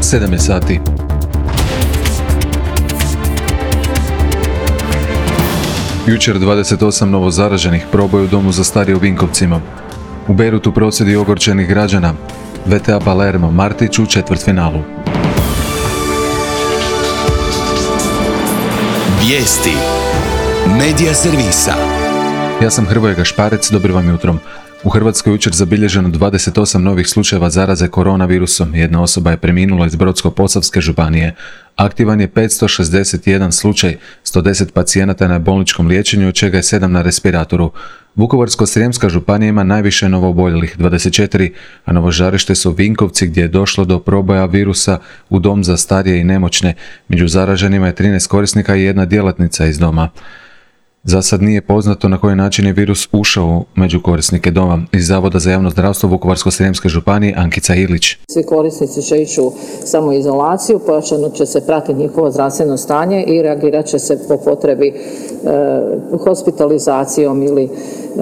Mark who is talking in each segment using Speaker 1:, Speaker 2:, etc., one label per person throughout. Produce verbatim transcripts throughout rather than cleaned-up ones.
Speaker 1: sedam je sati. Jučer dvadeset osam novo zaraženih, proboj u domu za starije u Vinkovcima. U Bejrutu prosvjedi ogorčenih građana. V T A Palermo, Martić u četvrtfinalu.
Speaker 2: Vijesti Medija servisa.
Speaker 1: Ja sam Hrvoje Gašparec, dobro vam jutro. U Hrvatskoj jučer zabilježeno dvadeset osam novih slučajeva zaraze koronavirusom. Jedna osoba je preminula iz Brodsko-posavske županije. Aktivan je petsto šezdeset jedan slučaj, sto deset pacijenata je na bolničkom liječenju, od čega je sedam na respiratoru. Vukovarsko-srijemska županija ima najviše novooboljelih, dvadeset četiri, a novo žarište su Vinkovci gdje je došlo do proboja virusa u dom za starije i nemoćne. Među zaraženima je trinaest korisnika i jedna djelatnica iz doma. Za sad nije poznato na koji način je virus ušao među korisnike doma. Iz Zavoda za javno zdravstvo Vukovarsko-srijemske županije Ankica Ilić.
Speaker 3: Svi korisnici će ići u samoizolaciju, pojačano će se pratiti njihovo zdravstveno stanje i reagirat će se po potrebi e, hospitalizacijom ili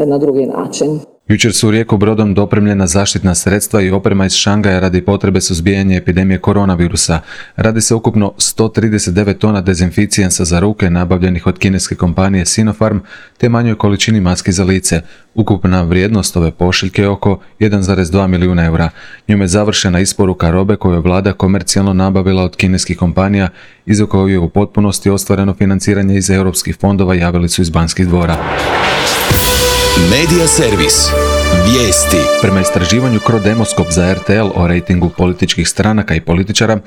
Speaker 3: na drugi način.
Speaker 1: Jučer su u Rijeku brodom dopremljena zaštitna sredstva i oprema iz Šangaja radi potrebe suzbijanja epidemije koronavirusa. Radi se ukupno sto trideset devet tona dezinficijensa za ruke nabavljenih od kineske kompanije Sinopharm te manjoj količini maski za lice. Ukupna vrijednost ove pošiljke je oko jedan zarez dva milijuna eura. Njome je završena isporuka robe koju je vlada komercijalno nabavila od kineskih kompanija i za koju je u potpunosti ostvareno financiranje iz europskih fondova, javili su iz Banskih dvora.
Speaker 2: Medija servis. Vijesti.
Speaker 1: Prema istraživanju Crodemoskop za R T L o rejtingu političkih stranaka i političara,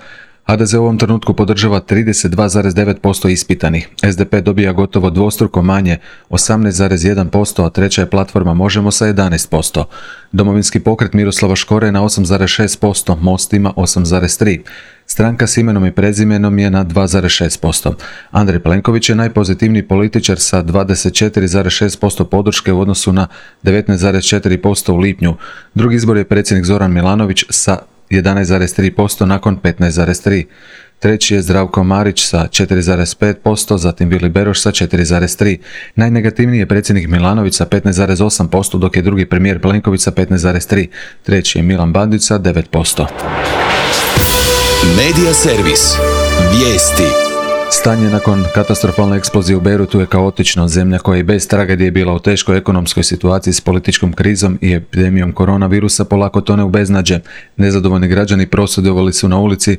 Speaker 1: H D Z u ovom trenutku podržava trideset dva zarez devet posto ispitanih. S D P dobija gotovo dvostruko manje, osamnaest zarez jedan posto, a treća je platforma Možemo sa jedanaest posto. Domovinski pokret Miroslava Škore je na osam zarez šest posto, Most ima osam zarez tri posto. Stranka s imenom i prezimenom je na dva zarez šest posto. Andrej Plenković je najpozitivniji političar sa dvadeset četiri zarez šest posto podrške u odnosu na devetnaest zarez četiri posto u lipnju. Drugi izbor je predsjednik Zoran Milanović sa jedanaest zarez tri posto nakon petnaest zarez tri posto. Treći je Zdravko Marić sa četiri zarez pet posto, zatim Vili Beroš sa četiri zarez tri posto. Najnegativniji je predsjednik Milanović sa petnaest zarez osam posto, dok je drugi premijer Plenković sa petnaest zarez tri posto. Treći je Milan Bandić sa devet posto.
Speaker 2: Medija servis. Vijesti.
Speaker 1: Stanje nakon katastrofalne eksplozije u Bejrutu je kaotično. Zemlja koja je bez tragedije bila u teškoj ekonomskoj situaciji s političkom krizom i epidemijom koronavirusa polako tone u beznađe. Nezadovoljni građani prosvjedovali su na ulici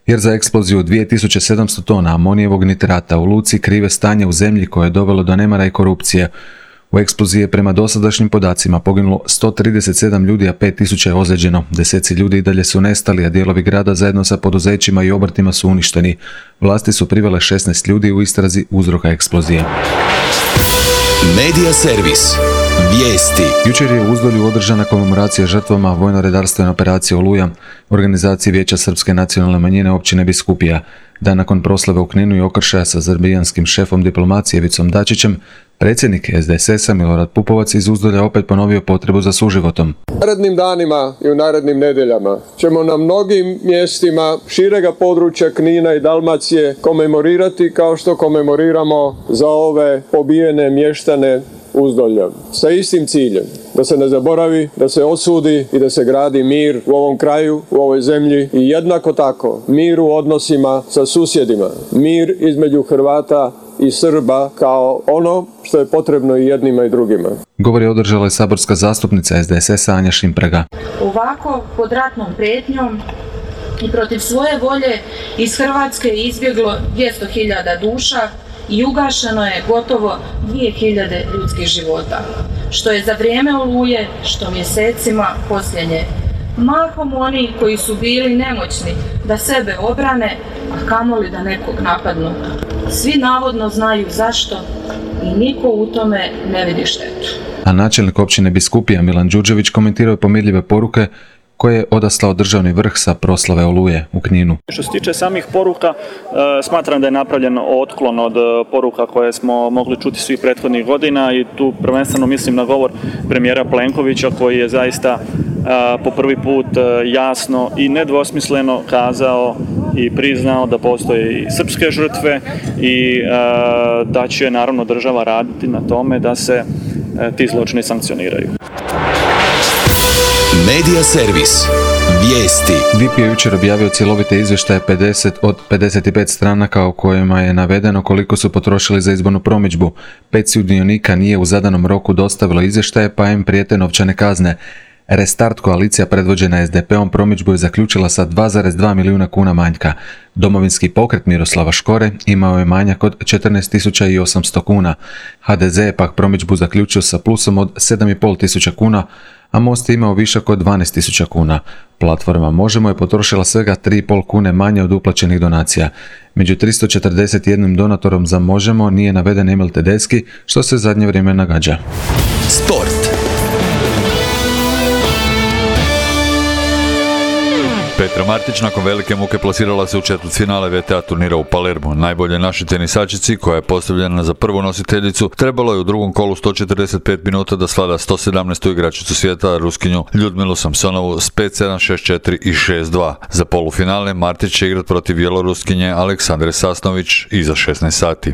Speaker 1: jer za eksploziju dvije tisuće sedamsto tona amonijevog nitrata u luci krive stanje u zemlji koje je dovelo do nemara i korupcije. U eksploziji je prema dosadašnjim podacima poginulo sto trideset sedam ljudi, a pet tisuća je ozlijeđeno. Deseci ljudi i dalje su nestali, a dijelovi grada zajedno sa poduzećima i obrtima su uništeni. Vlasti su privele šesnaest ljudi u istrazi uzroka eksplozije.
Speaker 2: Medija servis. Vijesti.
Speaker 1: Jučer je u Uzdolju održana komemoracija žrtvama vojno-redarstvene operacije Oluja u organizaciji Vijeća srpske nacionalne manjine općine Biskupija. Dan nakon proslave u Kninu i okršaja sa srbijanskim šefom diplomacije Ivicom Dačićem, predsjednik S D S S-a Milorad Pupovac iz Uzdolja opet ponovio potrebu za suživotom.
Speaker 4: U narednim danima i u narednim nedjeljama ćemo na mnogim mjestima širega područja Knina i Dalmacije komemorirati kao što komemoriramo za ove pobijene mještane Uzdolja. Sa istim ciljem, da se ne zaboravi, da se osudi i da se gradi mir u ovom kraju, u ovoj zemlji i jednako tako mir u odnosima sa susjedima, mir između Hrvata i Srba kao ono što je potrebno i jednima i drugima.
Speaker 1: Govor je održala i saborska zastupnica S D S S-a Anja Šimprega.
Speaker 5: Ovako pod ratnom prijetnjom i protiv svoje volje iz Hrvatske je izbjeglo dvjesto hiljada duša i ugašeno je gotovo dvije hiljade ljudskih života, što je za vrijeme Oluje, što mjesecima posljednje. Mahom oni koji su bili nemoćni da sebe obrane, a kamoli da nekog napadnu. Svi navodno znaju zašto i niko u tome ne vidi štetu.
Speaker 1: A načelnik općine Biskupija Milan Đurđević komentirao je pomirljive poruke koje je odaslao državni vrh sa proslave Oluje u Kninu.
Speaker 6: Što se tiče samih poruka, smatram da je napravljen otklon od poruka koje smo mogli čuti svih prethodnih godina i tu prvenstveno mislim na govor premijera Plenkovića koji je zaista po prvi put jasno i nedvosmisleno kazao i priznao da postoje i srpske žrtve i da će naravno država raditi na tome da se ti zločini sankcioniraju.
Speaker 2: Medija servis. Vijesti.
Speaker 1: D I P je jučer objavio cjelovite izvještaje pedeset od pedeset pet stranaka u kojima je navedeno koliko su potrošili za izbornu promidžbu. Pet sudionika nije u zadanom roku dostavilo izvještaje pa im prijete novčane kazne. Restart koalicija predvođena S D P-om promidžbu je zaključila sa dva zarez dva milijuna kuna manjka. Domovinski pokret Miroslava Škore imao je manjak od četrnaest tisuća osamsto kuna. H D Z je pak promidžbu zaključio sa plusom od sedam i pol tisuća kuna, a Most je imao višak od dvanaest tisuća kuna. Platforma Možemo je potrošila svega tri i pol kune manje od uplaćenih donacija. Među tristo četrdeset jedan donatorom za Možemo nije naveden Emil Tedeschi, što se zadnje vrijeme nagađa.
Speaker 2: Sport.
Speaker 7: Petra Martić nakon velike muke plasirala se u četvrtfinale V T A turnira u Palermu. Najbolje našoj tenisačici, koja je postavljena za prvu nositeljicu, trebalo je u drugom kolu sto četrdeset pet minuta da svlada sto sedamnaestu igračicu svijeta, Ruskinju Ljudmilu Samsonovu s pet sedam, šest četiri i šest dva. Za polufinale Martić će igrat protiv Bjeloruskinje Aleksandre Sasnović iza šesnaest sati.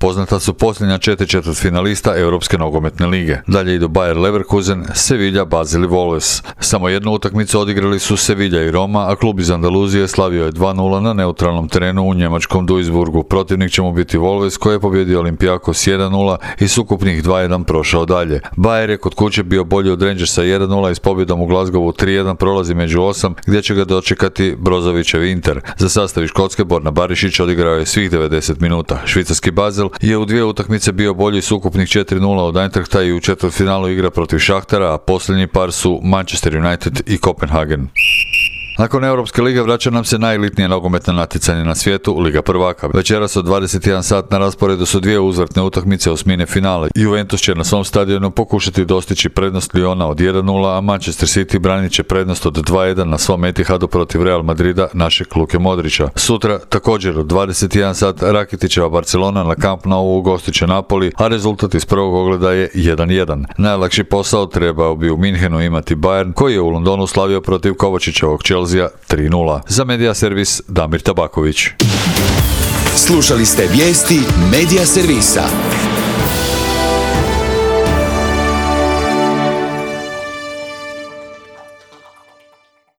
Speaker 7: Poznata su posljednja četiri četvrtfinalista Europske nogometne lige. Dalje idu Bayer Leverkusen, Sevilla, Basel i Wolves. Samo jednu utakmicu odigrali su Sevilla i Roma, a klub iz Andaluzije slavio je dva nula na neutralnom terenu u njemačkom Duisburgu. Protivnik će mu biti Wolves, koji je pobjedio Olympiakos jedan nula i s ukupnih dva jedan prošao dalje. Bayer je kod kuće bio bolji od Rangersa jedan nula i s pobjedom u Glasgowu tri jedan prolazi među osam, gdje će ga dočekati Brozovićev Inter. Za sastav iz Škotske Borna Barišić odigrao je svih devedeset minuta. Švicarski Basel je u dvije utakmice bio bolji s ukupnih četiri nula od Eintrachta i u četvrtfinalu igra protiv Šahtara, a posljednji par su Manchester United i Kopenhagen. Nakon Europske lige vraća nam se najelitnije nogometno natjecanje na svijetu, Liga prvaka. Večeras od dvadeset jedan sat na rasporedu su dvije uzvratne utakmice osmine finale. Juventus će na svom stadionu pokušati dostići prednost Lyona od jedan nula, a Manchester City branit će prednost od dva jedan na svom Etihadu protiv Real Madrida našeg Luke Modrića. Sutra također od dvadeset jedan sat Rakitićeva Barcelona na Camp Nou ugostit će Napoli, a rezultat iz prvog ogleda je jedan jedan. Najlakši posao trebao bi u Minhenu imati Bayern, koji je u Londonu slavio protiv Kovačićevog Chelsea tri nula. Za Medija Servis Damir Tabaković.
Speaker 2: Slušali ste vijesti Medija Servisa.